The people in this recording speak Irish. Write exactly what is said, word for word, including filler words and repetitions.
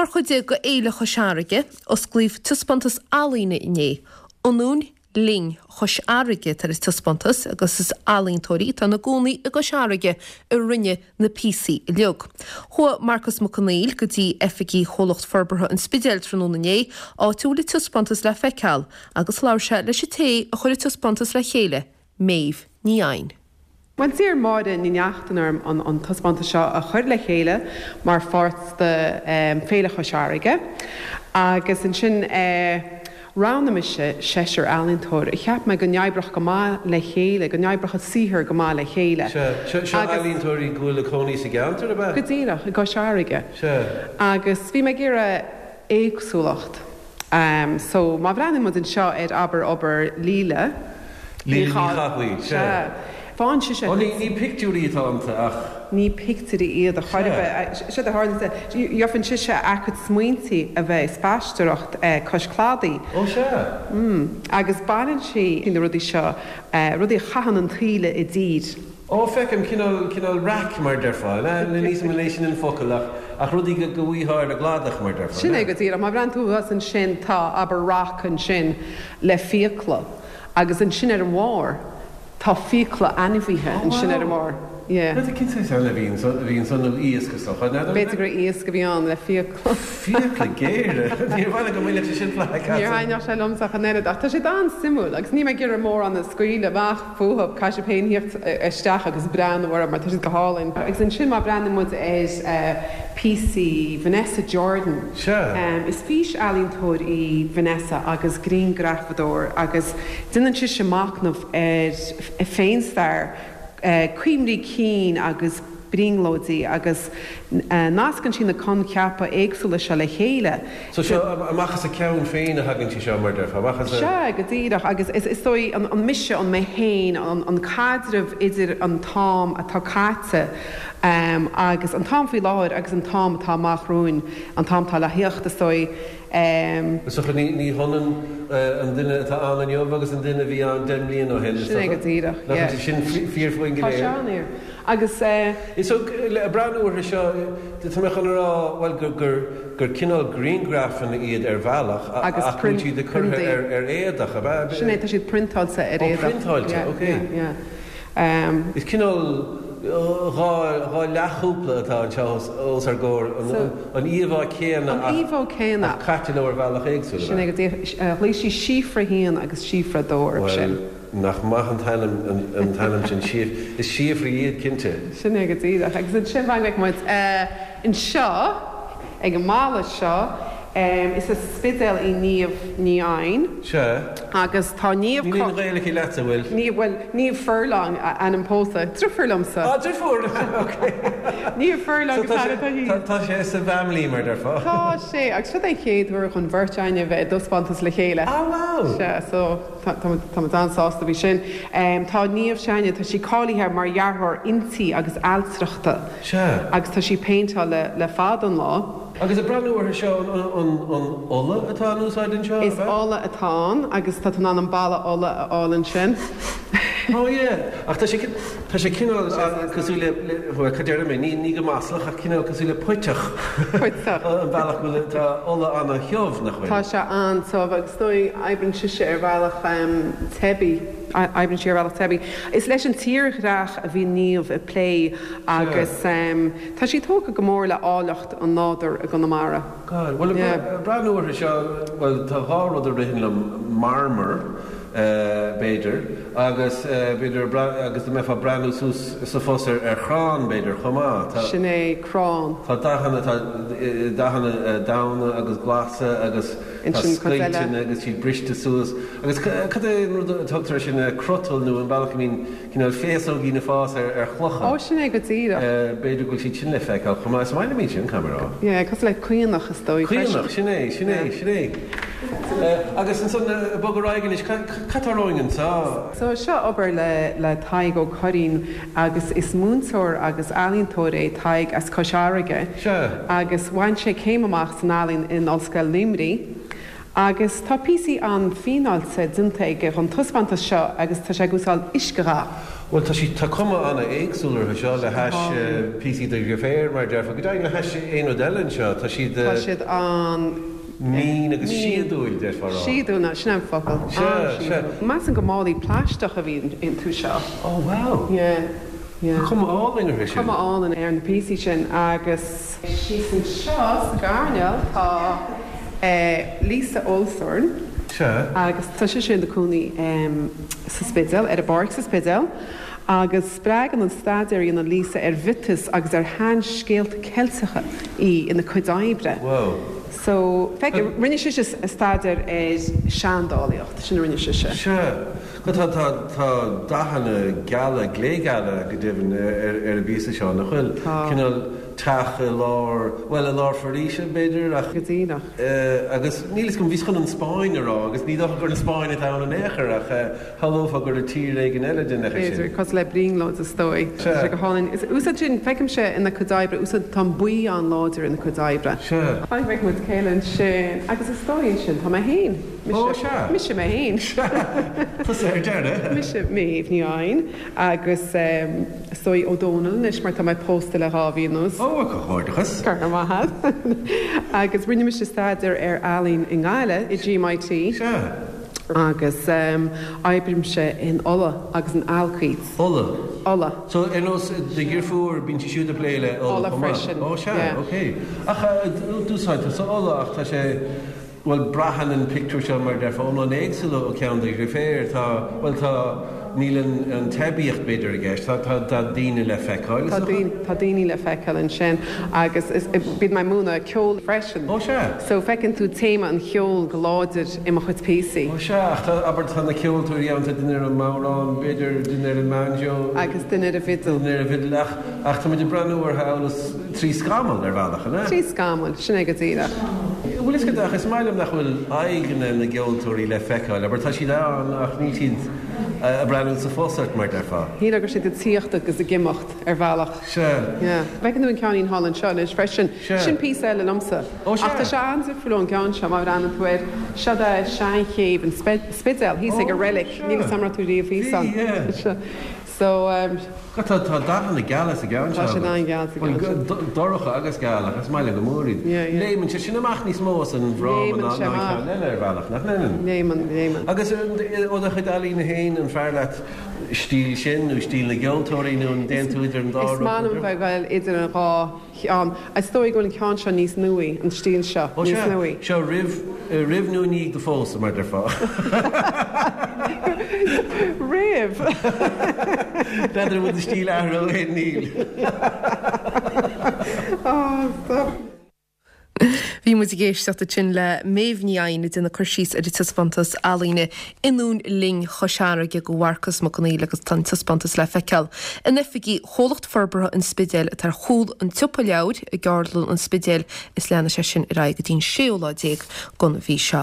Mar chuid de Fhéile Chois Fharraige, osclaíodh taispeántas ealaíne inné, Ionúin Linn Chois Fharraige tar is taispeántas agus is ealaíontóirí atá ina gcónaí i gCois Fharraige a rinne na píosaí uilig. Chuaigh Marcus Mac Conghail go dtí oifigí Chomhlacht Forbartha an Spidéil tráthnóna inné, áit a bhfuil an taispeántas le feiceáil, agus labhair sé leis an té a chuir an taispeántas le chéile, Méabh Ní Eidhin. Bhuel d'iarr Máire Ní Neachtain orm an, an taispeántas seo a chur le chéile mar pháirt de um, Féile Chois Fharraige agus ansin eh, roghnaigh mise seisear ealaíontóir a cheap mé go n-oibreodh go maith le chéile, go n-oibreodh a saothar go maith le chéile. Seo ealaíontóirí go bhfuil ina gcónaí sa gceantar ab ea? Go díreach i gCois Fharraige. Se. Agus bhí mé ag iarraidh éagsúlacht. Um, so má bhreathnaíonn muid anseo ar abair obair Líle Líle Ní Chathail, se. Fán si Ó ní ní pictiúirí atá iontu ach ní pictiúirí iad a chuirbe se a tharla gheofan sise a cuid smaointe a bheith spaisteoireacht cois cladaigh. Ó se. Mm. Agus baineann sí na rudaí seo rudaí a chaitheann an taoille i dtír. Ó feicim cineál cineál raic mar déarfá, níos mó leis an focal ach ach rudaí go go bhfaighfeá ar an gcladach mar déarfá. Sin é go díreach má bhreathnaíonn tú thuas ansin tá abair raic ansin le fiacla agus ansin ar an bharr tá fiacla ainmhithe ansin ar an mbarr. Yeah. Cén saghas a bhíonn bhíonn san iasc is dócha. B'fhéidir gur iasc a bhí ann le fiacla. Fiacla géire Níor bhaile go mbeadh sé sin fla Níor thaitneodh sé liomsa ach an oiread ach tá sé an-suimiúil agus ní mé gur mór an scaoile amach fúthu caithfidh sibh féin theacht isteach agus breathnú orthu mar tá siad go hálainn. Agus ansin má breathnaíonn muid ar píosaí Vanessa Jordan. Se. Um, is fís-ealaíontóir í Vanessa agus grianghrafadóir agus déanann sise machnamh ar féinstair uh, cuimhní cinn agus brionglóidí agus uh, nascann sí na coincheapa éagsúla seo le chéile. So seo amach as a ceann féin a thagann sí seo mar déarfá amach as a Se go díreach agus is is dóigh an, an mise an mé féin an, an caidreamh idir an t-am atá caite um, agus an t-am faoi láthair agus an t-am atá amach romhainn an t-am atá le theacht is dóigh um, So ní ní hionann an duine atá ann inniu agus an duine bhí ann deich mbliana ó shin. Sin é go díreach, yeah. sin fíor faoin Tá sé an Agus uh, Is so le breathnú orthu seo tá mé chun rá bhuel gur gur gur cineál grianghrafanna iad ar bhealach Agus ach bhfuil siad curtha ar ar éadach ab ea? Sin é tá siad priontáilte ar Ó, éadach. priontáilte, Yeah, okay. yeah, yeah. Um, Is cineál dhá dhá leathchúpla atá anseo os ár gcomhair So- an íomhá céanna An íomhá céanna. ach caite leo ar bhealach éagsúil. Sin é go díreach ghlaoigh sí síofra haon agus síofra dó orthu sin. Nach maith an t-ainm an t-ainm sin síf is síofraí iad cinnte. Sin é go díreach agus ansin bheidh muid anseo ag an mballa seo um, is as Spidéal í Niamh Ní Eidhin Se agus tá Niamh Ní aon Ghaeilge aici leatsa bhfuil. Ní bhfuil Niamh Furlong a ainm pósta Driofúr liomsa. Á driofúr Niamh Furlong So tá sé- tá- tá sé sa bhfamily mar déarfá. Tá sé agus seo é chéad uair chun beirt againne bheith i dtaispeántas le chéile. Ah wow! Se so tá an-sásta faoi sin. Um, tá Niamh Seine tá sí cáilithe mar dhearthóir intí agus ailtireachta. Se. Agus tá sí péinteáil le, le fada an lá. Agus ag breathnú orthu seo an an an ola atá in úsáid anseo? Is ola atá ann agus tá an an balla ola a fháil ansin. Oh yeah. Ach tá sé tá sé cineál cosúil le le cad deir mé ní ní go maslach ach cineál cosúil le puiteach. Puiteach. An bealach go bhfuil tá ola an-tiubh nach bhfuil. Tá sé an-tiubh agus dóigh oibríonn sise ar bhealach um, teibí oibríonn sí ar bhealach teibí. Is leis an tírdhreach a bhí Niamh ag plé agus um, tá sí tógtha go mór le áilleacht an nádúir i gConamara. God, well Yeah. breathnú orthu seo well tá dhá rud a ritheann liom marmar uh, b'fhéidir agus uh, b'fhéidir agus dá mbeifeá breathnú suas sa fos ar ar chrann b'fhéidir chomh maith. Tá Sin é crann. Tá dathanna tá dathanna donn agus glasa agus tá Ansin cuid eile. scoilteanna agus siad briste suas agus cad é an rud a tugtar sin crotal nó an bealach mín cineál féasógaí ag fás ar ar chlocha. Ó sin é go díreach. B'fhéidir go bhfuil siad sin le feiceáil chomh maith is maith liom sin camera. Yeah, cosúil le caonach is dóigh. Caonach sin é sin é sin é. Agus ansan bog ar aghaidh cad atá romhainn anseo. So seo obair le le Tadhg Ó Curraoin agus is múinteoir agus ealaíontóir é Tadhg as Cois Fharraige. Se. Agus bhain sé céim amach san ealaín in Ollscoil Luimnigh Agus tá píosaí an-fhíneáilte déanta aige don taispeántas seo agus tá sé ag úsáid uiscedhath. Bhuel tá sí tá cuma an-éagsúil orthu seo le hais píosaí do dheirféar mar déarfá go deimhin le hais aon rud eile anseo tá siad Tá siad an mín agus síodúil déarfá. Síodúil ná sin an focal. Sea, sea. Measaim go málaí plaisteach a bhí iontu seo. Oh wow. Yeah. Yeah. Tá cuma álainn orthu sin. Cuma álainn ar na píosaí sin agus síos anseo sa gcoirnéal tá Lisa Olsorn. Sea. Agus tá sise ina cónaí sa Spidéal, ar an bpáirc sa Spidéal, agus spreagann an staidéar a dhéanann Lisa ar mhiotais agus ar sheanscéalta Ceilteacha í ina cuid oibre. Wow. So, feic, rinne sise staidéar ar seandálaíocht, sin a rinne sise. Sea. Tá, tá, tá dathanna geala, glégeala go deimhin ar, ar an bpíosa seo, nach bhfuil? Tá. Cineál teach i lár, bhuel, i lár foraoise, b'fhéidir, ach. Go díreach. Agus níl 'fhios agam, bhíos chun an Spáinn a rá, agus ní dócha gur an Spáinn atá ann in aon chor, ach shamhlófá gur tír éigin eile den leithéid sin. B'fhéidir, cosúil le brionglóid is dóigh. Sea. Tá sé go hálainn. Is úsáid sin, feicimse ina cuid oibre, úsáid, tá an buí an-láidir ina cuid oibre. Sea. Fan go bhfeicfidh muid a chéile ansin, agus is dóigh ansin, tá mé féin. Mise, Ó, sea. Mise mé féin. Sea. Tusa ar deireadh. Mise Méabh Ní Eidhin agus is dóigh Ó Dónaill anois mar tá mé pósta le dhá mhí anuas. Ó, comhghairdeachas. Go raibh maith agat. Agus rinne mise staidéar ar ealaín i nGaillimh, i GMIT. Sea. Agus oibrímse in ola agus in ailcíd. Ola? Ola. So ar nós do dheirfiúr, bíonn sí siúd ag plé le ola Ola chomh maith? freisin. Ó, sea, Yeah. ok. Ach d'úsáid tusa ola ach tá sé, bhuel, braitheann an pictiúr seo mar déarfá iomlán éagsúil ó cheann do dheirféar. Tá, bhuel, tá, níl an, an teibíocht b'fhéidir i gceist, tá, tá, tá daoine le feiceáil, is Tá dócha? daoine, tá daoine le feiceáil ansin agus is, bíonn mé ag múineadh ceol freisin. Ó, sea. So feiceann tú téama an cheoil go láidir i mo chuid píosaí. Ó, sea, ach tá, abair, tá na ceoltóirí ann, tá duine ar an mbodhrán, b'fhéidir duine ar an mbanjo. Agus duine ar an bhfidil. Duine ar an bhfidil, ach, ach tá muid ag breathnú orthu amhail is trí scamall ar bhealach, an ea? Trí scamall, sin é go díreach. Bhfuil fhios agat, ach is maith liom nach bhfuil aghaidheanna na gceoltóirí le feiceáil, abair, tá siad ann ach níl siad ag breathnú sa phus ort, mar déarfá. Shílfeá go raibh siad ag tíocht agus ag imeacht ar bhealach. Sea. Yeah. Feiceann tú an ceainnín thall anseo anois freisin. Sea. Sin píosa eile liomsa. Ó, sea. Ach tá sé an-difriúil ón gceann seo, má bhreathnaíonn tú air. Seo de seanchéibh an Spidéil, thíos ag an reilig. Ó, sea. Níl 'fhios a'm an raibh tú riamh thíos ann. Bhí, yeah. Sea. So, um, Tá, tá dathanna geala sa gceann Tá seo siad agat. an-gheal sa Bhuel, gceann seo. go- dorcha agus geal, ach is maith liom go mór iad. Yeah, yeah. Léimeann sé sin amach níos mó as an bhfráma Léimeann ná sé ná an amach. ceann eile ar bhealach, nach léimeann? Léimeann, léimeann. Agus ó do chuid ealaíne féin, an fearr leat stíl sin nó stíl na gceoltóirí nó an dtéann tú idir an dá Is rud? maith liom bheith ag dul idir an dhá cheann. Is dóigh go bhfuil an ceann seo níos nuaí, an stíl seo, Ó, níos sea. nuaí. Seo roimh, roimh nó i ndiaidh do phósadh, mar déarfá. Roimh! N'fheadar an bhfuil do stíl athraithe ó shin, níl. Oh, stop. Bhí muid ag éisteacht ansin le Méabh Ní Eidhin ag déanamh cur síos ar an taispeántas ealaíne Ionúin Linn Chois Fharraige do Mharcas Mac Conghail agus tá an taispeántas le feiceáil in oifigí Chomhlacht Forbartha an Spidéil atá ar chúl an tsiopa leabhar i gCeardlann an Spidéil is leanfaidh sé sin ar aghaidh go dtí an séú lá déag den mhí seo.